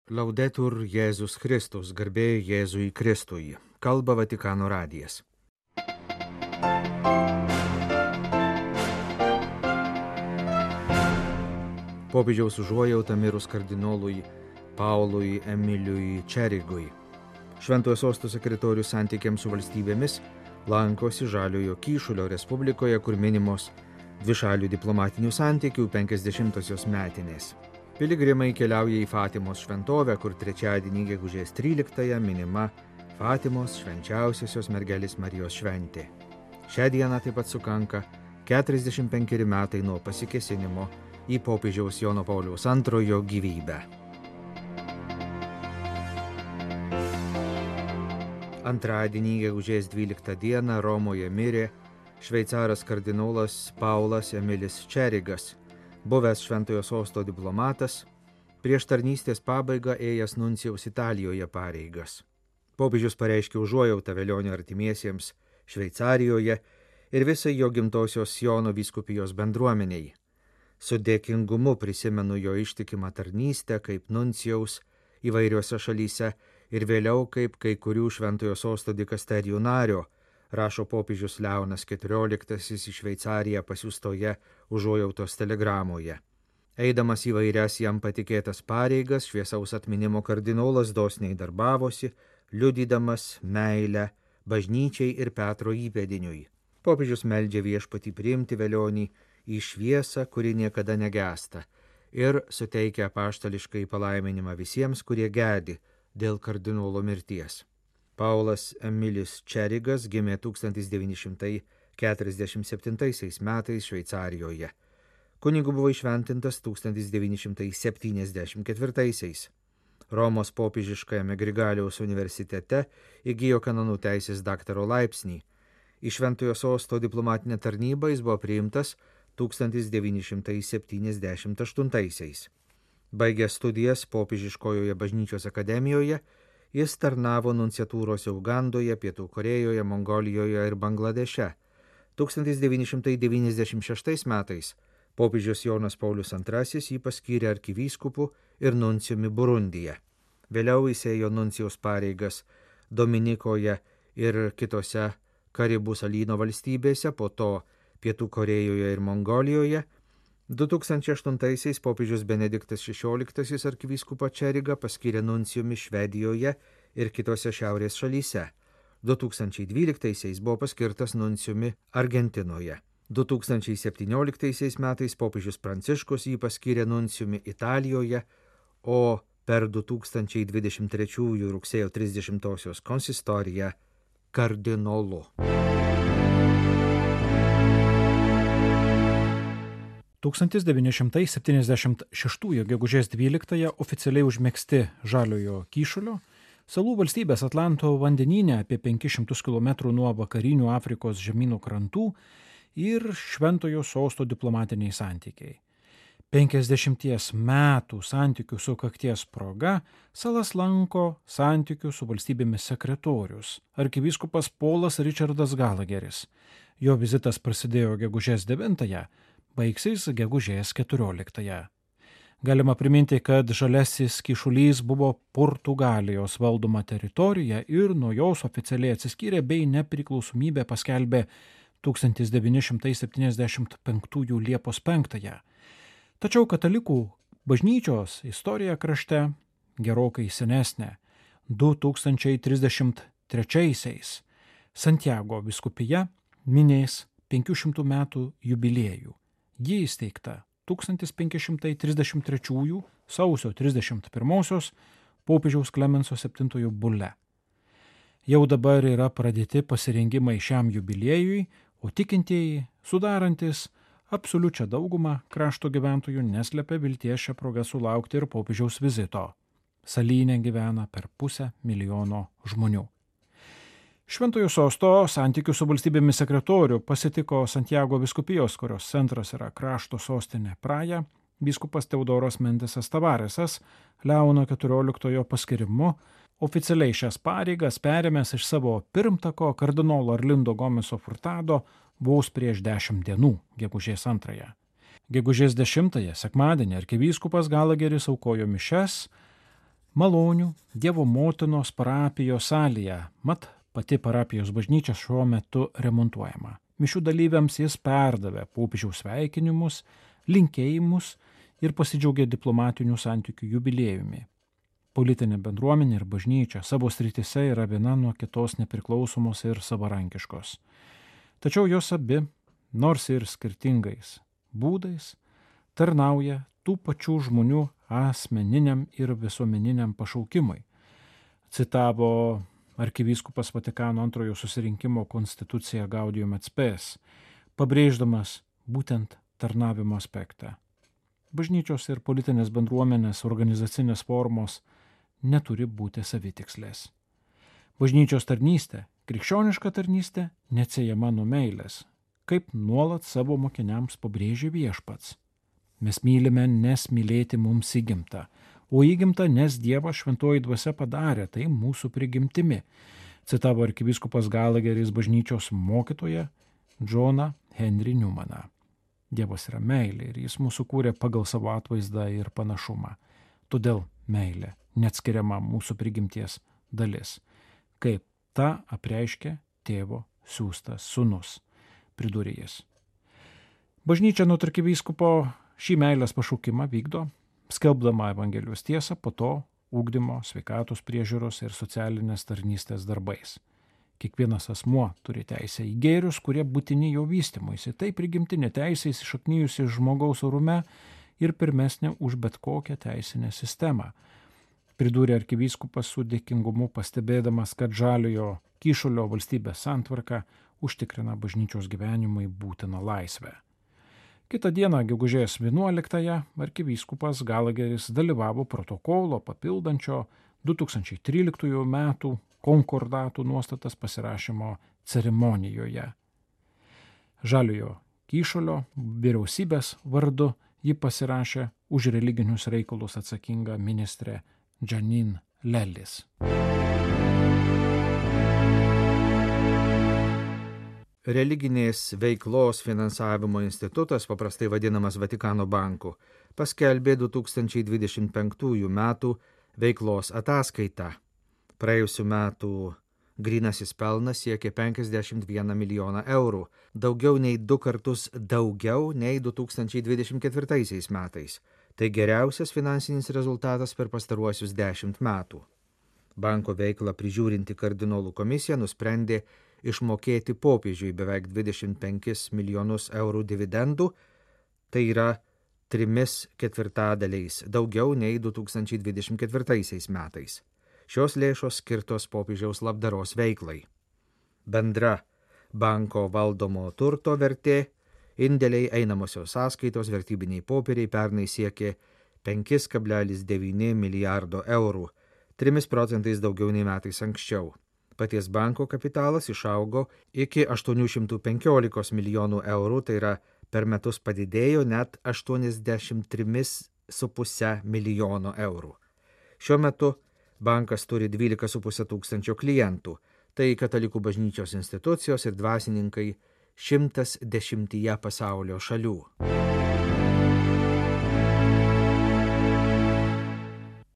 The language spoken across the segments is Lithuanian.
Laudetur Jėzus Kristus, garbė Jėzui Kristui. Kalba Vatikano radijas. Popiežiaus užuojauta mirus kardinolui Paului Emiliui Čerigui. Šventojo sosto sekretorius santykiams su valstybėmis lankosi Žaliojo Kyšulio Respublikoje, kur minimos dvišalių diplomatinių santykių 50-osios metinės. Piligrimai keliauja į Fatimos šventovę, kur trečiadienį gegužės 13-ąją minima Fatimos švenčiausiosios mergelės Marijos šventė. Šią dieną taip pat sukanka 45 metai nuo pasikėsinimo į popiežiaus Jono Pauliaus II gyvybę. Antradienį gegužės 12 dieną Romoje mirė šveicaras kardinolas Paulas Emilis Čerigas, buvęs šventojo sosto diplomatas, prieš tarnystės pabaigą ėjęs nuncijaus Italijoje pareigas. Popiežius pareiškė užuojautą velionio artimiesiems Šveicarijoje ir visai jo gimtosios Siono vyskupijos bendruomeniai. Su dėkingumu prisimenu jo ištikimą tarnystę kaip nuncijaus įvairiose šalyse ir vėliau kaip kai kurių šventojo sosto dikasterijų nario, rašo popiežius Leonas XIV į Šveicariją pasiųstoje užuojautos telegramoje. Eidamas įvairias jam patikėtas pareigas, šviesaus atminimo kardinolas dosniai darbavosi, liudydamas meilę bažnyčiai ir Petro įpėdiniui. Popiežius meldžia viešpatį priimti velionį į šviesą, kuri niekada negęsta, ir suteikia apaštališkai palaiminimą visiems, kurie gedi dėl kardinolo mirties. Paulas Emilis Čerigas gimė 1947 metais Šveicarijoje. Kunigu buvo įšventintas 1974. Romos popiežiškajame Grigaliaus universitete įgijo kanonų teisės daktaro laipsnį. Į šventojo sosto diplomatinę tarnybą jis buvo priimtas 1978. Baigęs studijas popiežiškojoje bažnyčios akademijoje, jis tarnavo nunciatūrose Ugandoje, Pietų Korėjoje, Mongolijoje ir Bangladeše. 1996 metais popiežius Jonas Paulius II jį paskyrė arkivyskupu ir nuncijumi Burundyje. Vėliau jis ėjo nuncijaus pareigas Dominikoje ir kitose Karibų salyno valstybėse, po to Pietų Korėjoje ir Mongolijoje. 2008 popiežius Benediktas XVI arkivyskupą Čerigą paskyrė nuncijumi Švedijoje ir kitose šiaurės šalyse. 2012 buvo paskirtas nuncijumi Argentinoje. 2017 metais popiežius Pranciškus jį paskyrė nuncijumi Italijoje, o per 2023 rugsėjo 30 konsistoriją kardinolu. 1976 gegužės 12 oficialiai užmegzti Žaliojo Kyšulio, salų valstybės Atlanto vandenyne apie 500 km nuo vakarinių Afrikos žemynų krantų ir šventojo sosto diplomatiniai santykiai. 50 metų santykių sukakties proga salas lanko santykių su valstybėmis sekretorius, arkivyskupas Polas Richardas Galageris. Jo vizitas prasidėjo gegužės 9, baigsis gegužės 14. Galima priminti, kad Žaliasis Kyšulys buvo Portugalijos valdoma teritorija ir nuo jos oficialiai atsiskyrė bei nepriklausomybę paskelbė 1975 Liepos 5. Tačiau katalikų bažnyčios istorija krašte gerokai senesnė. 2033 Santiago vyskupija minės 500 metų jubiliejų. Ji įsteigta 1533 sausio 31 popiežiaus Klemenso VII bule. Jau dabar yra pradėti pasirengimai šiam jubiliejui, o tikintieji, sudarantis absoliučią daugumą krašto gyventojų, neslepia vilties šią progą sulaukti ir popiežiaus vizito. Salyne gyvena per 500 000 žmonių. Šventojo sosto santykių su valstybėmis sekretorių pasitiko Santiago vyskupijos, kurios centras yra krašto sostinė Praja, vyskupas Teodoras Mendesas Tavaresas, Leono XIV paskirimu, oficialiai šias pareigas perėmęs iš savo pirmtako kardinolo Arlindo Gomeso Furtado vos prieš 10 dienų, gegužės 2. Gegužės 10 sekmadienį arkivyskupas Galageris aukojo mišias Malonių Dievo motinos parapijos salėje, mat pati parapijos bažnyčia šiuo metu remontuojama. Mišių dalyviams jis perdavė popiežiaus sveikinimus, linkėjimus ir pasidžiaugė diplomatinių santykių jubiliejumi. Politinė bendruomenė ir bažnyčia savo srityse yra viena nuo kitos nepriklausomos ir savarankiškos. Tačiau jos abi, nors ir skirtingais būdais, tarnauja tų pačių žmonių asmeniniam ir visuomeniniam pašaukimui, citavo arkivyskupas Vatikano antrojo susirinkimo konstituciją Gaudium et Spes, pabrėždamas būtent tarnavimo aspektą. Bažnyčios ir politinės bendruomenės organizacinės formos neturi būti savitikslės. Bažnyčios tarnystė, krikščioniška tarnystė, neatsiejama nuo meilės, kaip nuolat savo mokiniams pabrėžia Viešpats. Mes mylime, nes mylėti mums įgimta, o įgimta, nes Dievas šventoji dvasia padarė tai mūsų prigimtimi, citavo arkivyskupas Galageris bažnyčios mokytoją Džoną Henry Newmaną. Dievas yra meilė ir jis mūsų kūrė pagal savo atvaizdą ir panašumą. Todėl meilė neatskiriama mūsų prigimties dalis, kaip tą apreiškė tėvo siųstas sūnus, pridūrė jis. Bažnyčia nuo arkivyskupo šį meilės pašaukimą vykdo, skelbdama Evangelijos tiesą, po to ugdymo, sveikatos priežiūros ir socialinės tarnystės darbais. Kiekvienas asmuo turi teisę į gėrius, kurie būtini jo vystymuisi. Tai prigimtinė teisė įsišaknijusi žmogaus orume ir pirmesnė už bet kokią teisinę sistemą. Pridūrė arkivyskupas su dėkingumu, pastebėdamas, kad žaliojo kyšulio valstybės santvarka užtikrina bažnyčios gyvenimui būtiną laisvę. Kitą dieną, gegužės 11-ąją, arkivyskupas Galageris dalyvavo protokolo papildančio 2013 metų konkordatų nuostatas pasirašymo ceremonijoje. Žaliojo kyšulio vyriausybės vardu ji pasirašė už religinius reikalus atsakinga ministrė Janine Lelis. Religinės veiklos finansavimo institutas, paprastai vadinamas Vatikano banku, paskelbė 2025 metų veiklos ataskaitą. Praėjusių metų grynasis pelnas siekė 51 milijoną eurų, daugiau nei 2 kartus daugiau nei 2024 metais. Tai geriausias finansinis rezultatas per pastaruosius 10 metų. Banko veiklą prižiūrinti kardinolų komisija nusprendė išmokėti popiežiui beveik 25 milijonus eurų dividendų, tai yra 3/4 daugiau nei 2024 metais. Šios lėšos skirtos popiežiaus labdaros veiklai. Bendra banko valdomo turto vertė, indėliai, einamosios sąskaitos, vertybiniai popieriai pernai siekė 5,9 milijardo eurų, 3% daugiau nei metais anksčiau. Paties banko kapitalas išaugo iki 815 milijonų eurų, tai yra per metus padidėjo net 83,5 milijono eurų. Šiuo metu bankas turi 12,5 tūkstančio klientų, tai katalikų bažnyčios institucijos ir dvasininkai 110 pasaulio šalių.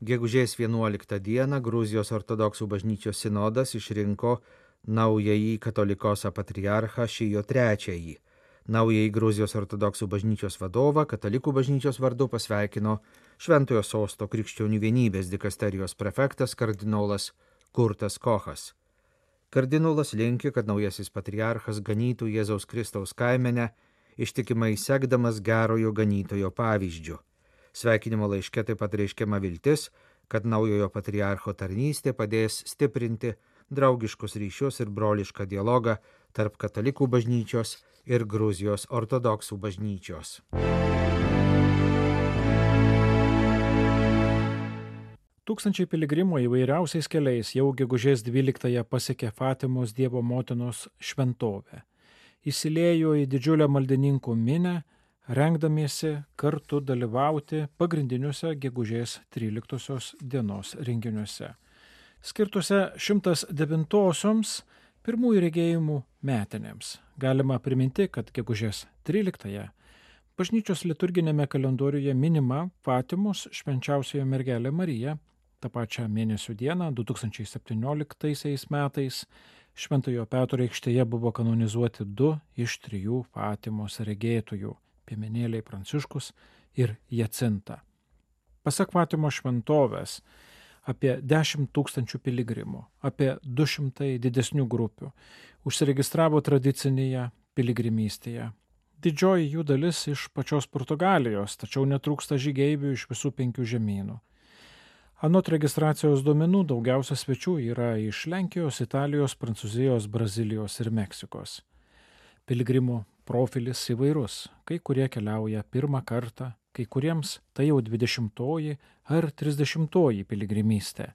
Gegužės 11 dieną Gruzijos ortodoksų bažnyčios sinodas išrinko naująjį katolikosą patriarchą Šijo III. Naująjį Gruzijos ortodoksų bažnyčios vadovą katalikų bažnyčios vardu pasveikino Šventojo Sosto krikščionių vienybės dikasterijos prefektas kardinolas Kurtas Kochas. Kardinolas linki, kad naujasis patriarchas ganytų Jėzaus Kristaus kaimenę, ištikimai sekdamas gerojo ganytojo pavyzdžiu. Sveikinimo laiške taip pat reiškiama viltis, kad naujojo patriarcho tarnystė padės stiprinti draugiškus ryšius ir brolišką dialogą tarp katalikų bažnyčios ir Gruzijos ortodoksų bažnyčios. Tūkstančiai piligrimų įvairiausiais keliais jau gegužės 12-ąją pasiekė Fatimos Dievo motinos šventovę. Įsiliejo į didžiulę maldininkų minią, rengdamiesi kartu dalyvauti pagrindiniuose gegužės 13 dienos renginiuose, skirtuose 109-osioms pirmųjų regėjimų metinėms. Galima priminti, kad gegužės 13-ąją bažnyčios liturginėme kalendoriuje minima Fatimos švenčiausioji mergelė Marija, tą pačią mėnesio dieną 2017 metais Šventojo Petro aikštėje buvo kanonizuoti 2 iš 3 Fatimos regėtojų – piemenėliai Pranciškus ir Jacinta. Pasak Fatimos šventovės, apie 10 000 piligrimų, apie 200 didesnių grupių užsiregistravo tradicinėje piligrimystėje. Didžioji jų dalis iš pačios Portugalijos, tačiau netrūksta žygeivių iš visų 5 žemynų. Anot registracijos duomenų daugiausia svečių yra iš Lenkijos, Italijos, Prancūzijos, Brazilijos ir Meksikos. Piligrimų profilis įvairus, kai kurie keliauja pirmą kartą, kai kuriems tai jau 20 ar 30 piligrimystė.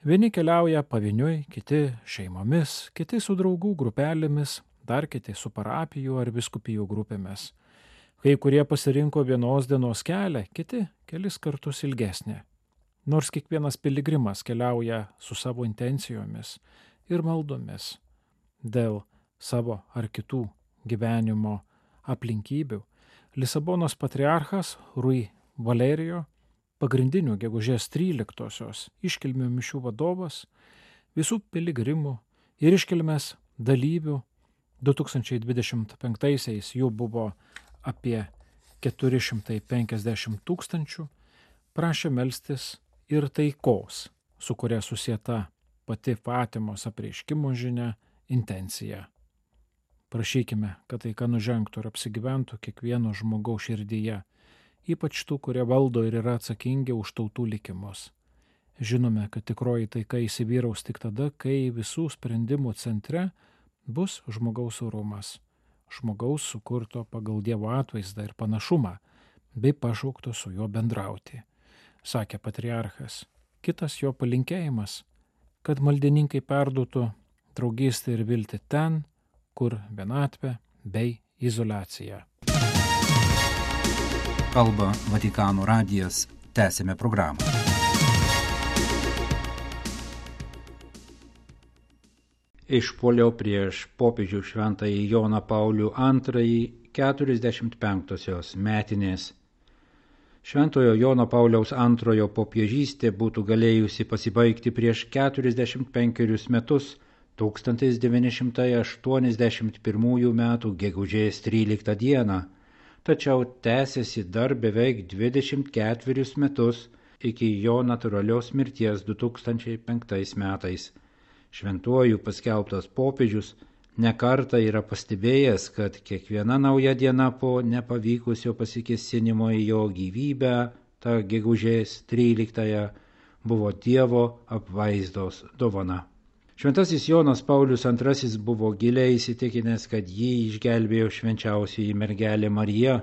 Vieni keliauja pavieniui, kiti šeimomis, kiti su draugų grupelėmis, dar kiti su parapijų ar vyskupijų grupėmis. Kai kurie pasirinko vienos dienos kelią, kiti kelis kartus ilgesnė. Nors kiekvienas piligrimas keliauja su savo intencijomis ir maldomis dėl savo ar kitų gyvenimo aplinkybių, Lisabonos patriarchas Rui Valerijo, pagrindinių gegužės 13-osios iškilmių mišių vadovas, visų piligrimų ir iškilmės dalyvių 2025-aisiais jų buvo apie 450 000, prašė melstis ir taikos, su kuria susieta pati Fatimos apreiškimo žinia, intencija. Prašykime, kad taika nužengtų ir apsigyventų kiekvieno žmogaus širdyje, ypač tų, kurie valdo ir yra atsakingi už tautų likimus. Žinome, kad tikroji taika įsivyraus tik tada, kai visų sprendimų centre bus žmogaus orumas, žmogaus sukurto pagal Dievo atvaizdą ir panašumą, bei pašaukto su juo bendrauti, sakė patriarchas. Kitas jo palinkėjimas, kad maldininkai perduotų draugystę ir viltį ten, kur vienatvė bei izoliacija. Kalba Vatikano radijas, tęsime programą. Išpuolio prieš popiežių šventąjį Joną Paulių II 45-osios metinės. Šventojo Jono Pauliaus II popiežystė būtų galėjusi pasibaigti prieš 45 metus 1981 metų gegužės 13 dieną, tačiau tęsiasi dar beveik 24 metus iki jo natūralios mirties 2005 metais. Šventuoju paskelbtas popiežius nekartą yra pastebėjęs, kad kiekviena nauja diena po nepavykusio pasikėsinimo į jo gyvybę, ta gegužės 13, buvo Dievo apvaizdos dovana. Šventasis Jonas Paulius II buvo giliai įsitikinęs, kad jį išgelbėjo švenčiausioji mergelė Marija,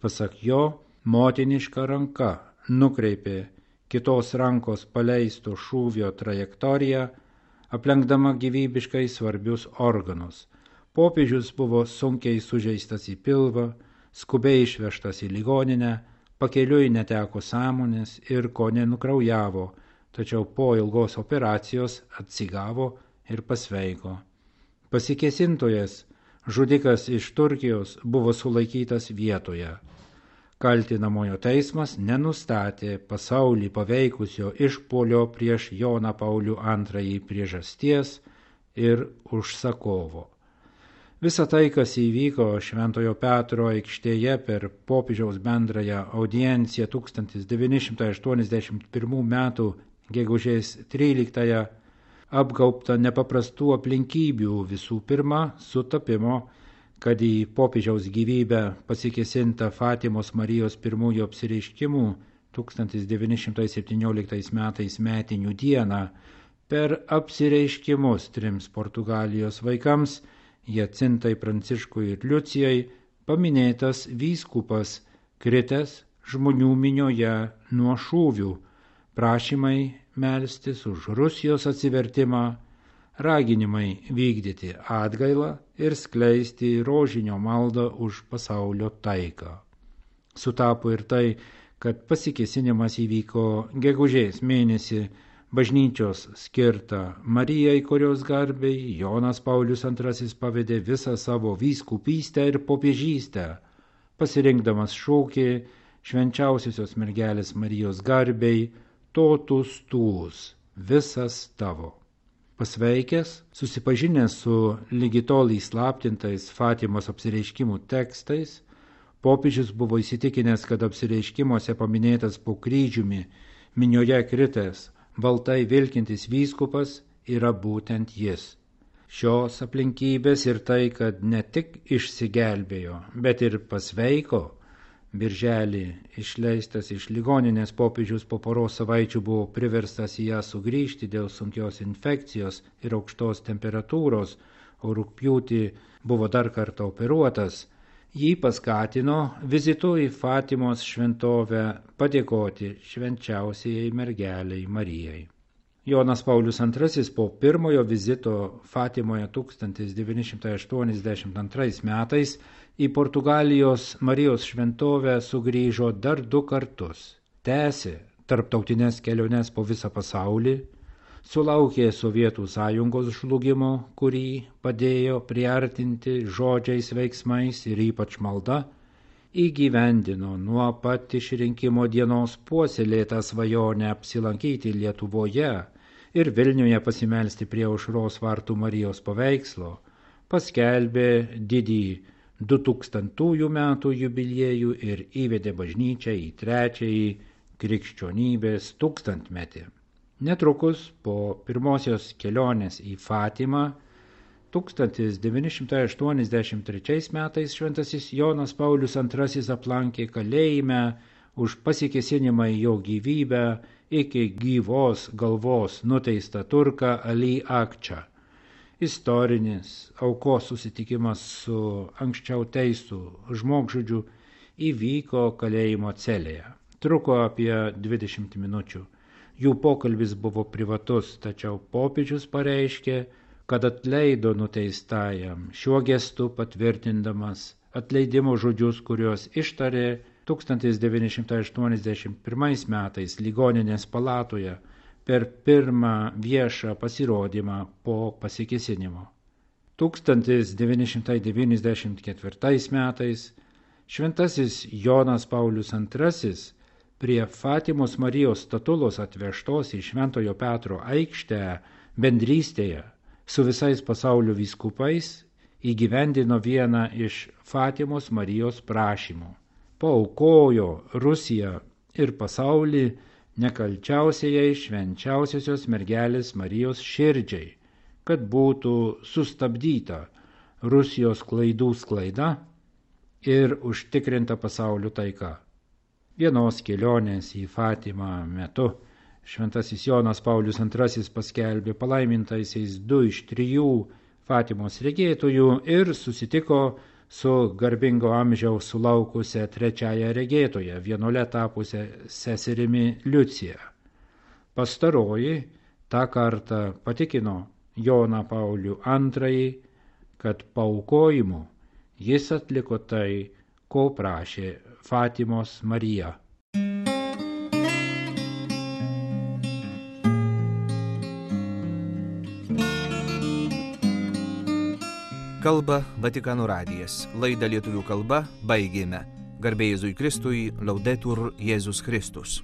pasak jo, motiniška ranka nukreipė kitos rankos paleisto šūvio trajektoriją, aplenkdama gyvybiškai svarbius organus. Popiežius buvo sunkiai sužeistas į pilvą, skubiai išvežtas į ligoninę, pakeliui neteko sąmonės ir kone nukraujavo, tačiau po ilgos operacijos atsigavo ir pasveiko. Pasikėsintojas, žudikas iš Turkijos, buvo sulaikytas vietoje. Kaltinamojo teismas nenustatė pasaulį paveikusio išpuolio prieš Joną Paulių II priežasties ir užsakovo. Visa tai, kas įvyko Šventojo Petro aikštėje per popiežiaus bendrąją audienciją 1981 metų gegužės 13, apgaubta nepaprastų aplinkybių, visų pirma sutapimo, kad į popiežiaus gyvybę pasikėsinta Fatimos Marijos pirmųjų apsireiškimų 1917 metais metinių dieną per apsireiškimus 3 Portugalijos vaikams, Jacintai, Pranciškui ir Liucijai, paminėtas vyskupas, kritęs žmonių minioje nuo šūvių, prašymai melstis už Rusijos atsivertimą, raginimai vykdyti atgailą ir skleisti rožinio maldą už pasaulio taiką. Sutapo ir tai, kad pasikėsinimas įvyko gegužės mėnesį bažnyčios skirtą Marijai, kurios garbei Jonas Paulius II pavedė visą savo vyskupystę ir popiežystę, pasirinkdamas šūkį švenčiausiosios mergelės Marijos garbei totus tuus, visas tavo. Pasveikęs, susipažinęs su lygi tol įslaptintais Fatimos apsireiškimų tekstais, popiežius buvo įsitikinęs, kad apsireiškimuose paminėtas po kryžiumi minioje kritęs, baltai vilkintis vyskupas yra būtent jis. Šios aplinkybės ir tai, kad ne tik išsigelbėjo, bet ir pasveiko, birželį išleistas iš ligoninės popiežius po poros savaičių buvo priverstas į ją sugrįžti dėl sunkios infekcijos ir aukštos temperatūros, o rugpjūtį buvo dar kartą operuotas, jį paskatino vizitu į Fatimos šventovę padėkoti švenčiausiajai mergelei Marijai. Jonas Paulius II po pirmojo vizito Fatimoje 1982 metais į Portugalijos Marijos šventovę sugrįžo dar 2 kartus, tęsė tarptautinės keliones po visą pasaulį, sulaukė Sovietų sąjungos žlugimo, kurį padėjo priartinti žodžiais, veiksmais ir ypač malda, įgyvendino nuo pat išrinkimo dienos puoselėtą svajonę apsilankyti Lietuvoje ir Vilniuje pasimelsti prie Aušros vartų Marijos paveikslo, paskelbė didįjį 2000 metų jubiliejų ir įvedė bažnyčią į 3. krikščionybės tūkstantmetį. Netrukus po pirmosios kelionės į Fatimą 1983 metais šventasis Jonas Paulius II aplankė kalėjime už pasikėsinimą į jo gyvybę iki gyvos galvos nuteistą turką Ali Akčą. Istorinis aukos susitikimas su anksčiau teistų žmogžudžiu įvyko kalėjimo celėje. Truko apie 20 minučių. Jų pokalbis buvo privatus, tačiau popiežius pareiškė, kad atleido nuteistajam, šiuo gestu patvirtindamas atleidimo žodžius, kuriuos ištarė 1981 metais ligoninės palatoje per pirmą viešą pasirodymą po pasikėsinimo. 1994 metais šventasis Jonas Paulius II prie Fatimos Marijos statulos atvežtos į Šventojo Petro aikštę bendrystėje su visais pasaulio vyskupais įgyvendino vieną iš Fatimos Marijos prašymų. Paaukojo Rusiją ir pasaulį nekalčiausiai švenčiausiosios mergelės Marijos širdžiai, kad būtų sustabdyta Rusijos klaidų sklaida ir užtikrinta pasaulio taika. Vienos kelionės į Fatimą metu šventasis Jonas Paulius II paskelbė palaimintaisiais 2 iš 3 Fatimos regėtojų ir susitiko su garbingo amžiaus sulaukusia 3 regėtoja, vienuole tapusia seserimi Liucija. Pastaroji tą kartą patikino Joną Paulių II, kad paaukojimu jis atliko tai, ko prašė Fatimos Marija. Kalba Vatikano radijas. Laidą lietuvių kalba baigėme. Garbė Jėzui Kristui, Laudetur Jėzus Kristus.